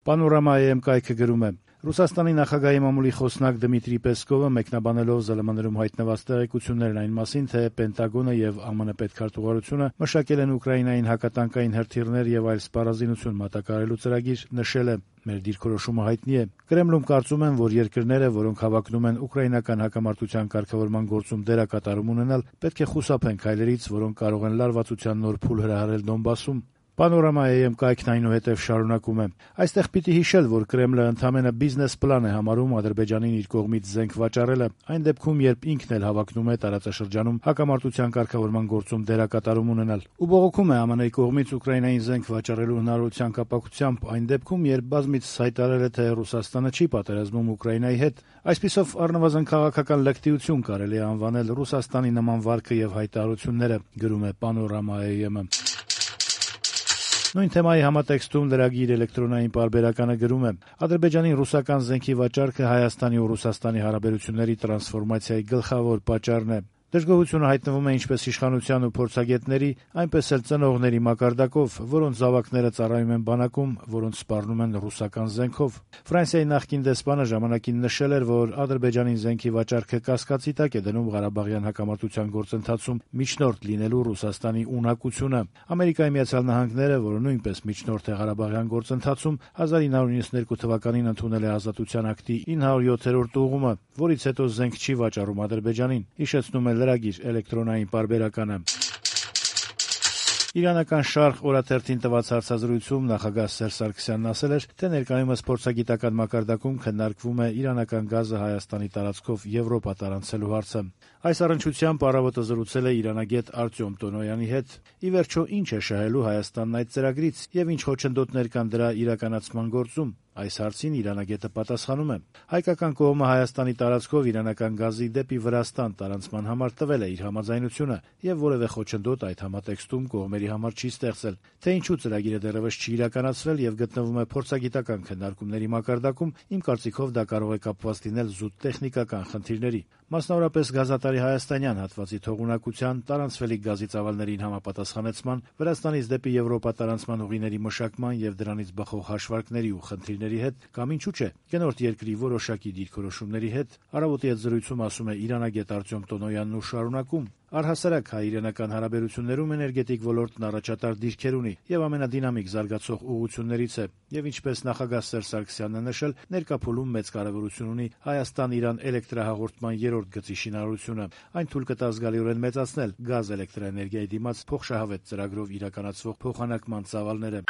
Panorama.am կայքը գրում է. Ռուսաստանի նախագահի մամուլի խոսնակ Դմիտրի Պեսկովը մեկնաբանելով ԶԼՄ-ում հայտնված տեղեկություններն այն մասին, թե Պենտագոնը եւ ԱՄՆ պետքարտուղարությունը մշակել են Ուկրաինային հակատանկային հրթիռներ եւ այլ սպառազինություն մատակարարելու ծրագիր, նշել է. Մեր դիրքորոշումը հայտնի է։ Կրեմլում կարծում են, որ երկրները, որոնք հավակնում են ուկրաինական հակամարտության կարգավորման գործում դերակատարում ունենալ, պետք է խուսափեն քայլերից, որոնք կարող են լարվածության նոր փուլ հրահրել Դոնբասում։ Panorama.am կայքն այնուհետև շարունակում է. Այստեղ պիտի հիշել, որ Կրեմլը ընդամենը բիզնես պլան է համարում Ադրբեջանին իր կողմից զենք վաճառելը, այն դեպքում, երբ ինքն էլ հավակնում է տարածաշրջանում հակամարտության կարգավորման գործում դերակատարում ունենալ։ Ու բողոքում է ԱՄՆ-ի կողմից Ուկրաինային զենք վաճառելու հնարավորության կապակցությամբ, այն դեպքում, երբ բազմիցս հայտարարել է, թե Ռուսաստանը չի պատերազմում Ուկրաինայի հետ։ Այսպիսով առնվազն քաղաքական լկտիություն կարելի է անվանել Ռուսաստանի նման վարքը եւ հայտարարությունները, գրում է Panorama.am-ը։ Նույն թեմայի համատեքստում լրագիր էլեկտրոնային պարբերականը գրում է. Ադրբեջանի ռուսական զենքի վաճառքը Հայաստանի ու Ռուսաստանի հարաբերությունների տրանսֆորմացիայի գլխավոր պատճառն է։ Դժգոհությունը հայտնվում է ինչպես իշխանության ու փորձագետների, այնպես էլ ծնողների մակարդակով, որոնց զավակները ծառայում են բանակում, որոնց սպառնում են ռուսական զենքով։ Ֆրանսիայի նախկին դեսպանը ժամանակին նշել էր, որ Ադրբեջանին զենքի վաճառքը կասկածի տակ է դնում Ղարաբաղյան հակամարտության գործընթացում միջնորդ լինելու Ռուսաստանի ունակությունը։ Ամերիկայի Միացյալ Նահանգները, որը նույնպես միջնորդ է Ղարաբաղյան գործընթացում, 1992 թվականին ընդունել է ազատության ակտի 907-րդ ուղղումը, որից հետո զենք չի վաճառում Ադրբեջանին, հիշեցնում է լրագիր էլեկտրոնային պարբերականը։ Իրանական Շարխ օրաթերթին տված հարցազրույցում նախագահ Սերժ Սարգսյանն ասել էր, թե ներկայումս փորձագիտական մակարդակում քննարկվում է իրանական գազը Հայաստանի տարածքով Եվրոպա տարանցելու հարցը։ Այս առնչությամբ առավոտը զրուցել է իրանագետ Արտյոմ Տոնոյանի հետ։ Ի վերջո, ինչ է շահելու Հայաստանն այդ ծրագրից եւ ինչ խոչընդոտներ կան դրա իրականացման գործում։ Այս հարցին իրանագետը պատասխանում է. հայկական կողմը Հայաստանի տարածքով իրանական գազի դեպի Վրաստան տարանցման համար տվել է իր համաձայնությունը եւ որևէ խոչընդոտ այդ համատեքստում կողմերի համար չի ստեղծել։ Թե ինչու ծրագիրը դեռևս չի իրականացվել եւ գտնվում է փորձագիտական քննարկումների մակարդակում, իմ կարծիքով դա կարող է կապված լինել զուտ տեխնիկական խնդիրների, մասնավորապես գազատարի հայաստանյան հատվածի թողունակության, տարանցվելիք գազի ծավալներին համապատասխանեցման, Վրաստանից դեպի Եվրոպա տարանցման ուղիների մշակման եւ դրանից բխող հաշվարկների ու խնդիրների հետ, կամ ինչու՞ չէ, գնորդ երկրի որոշակի դիրքորոշումների հետ, առավոտի այդ զրույցում ասում է իրանագետ Արտյոմ Տոնոյանն ու շարունակում. Առհասարակ հայ-իրանական հարաբերություններում էներգետիկ ոլորտն առաջատար դիրքեր ունի եւ ամենադինամիկ զարգացող ուղղություններից է, եւ ինչպես նախագահ Սերժ Սարգսյանն է նշել, ներկա փուլում մեծ կարեւորություն ունի Հայաստան-Իրան էլեկտրահաղորդման երրորդ գծի շինարարությունը։ Այն թույլ կտա զգալիորեն մեծացնել գազ էլեկտրաէներգիայի դիմաց փոխշահավետ ծրագրով իրականացվող փոխանակման ծավալները։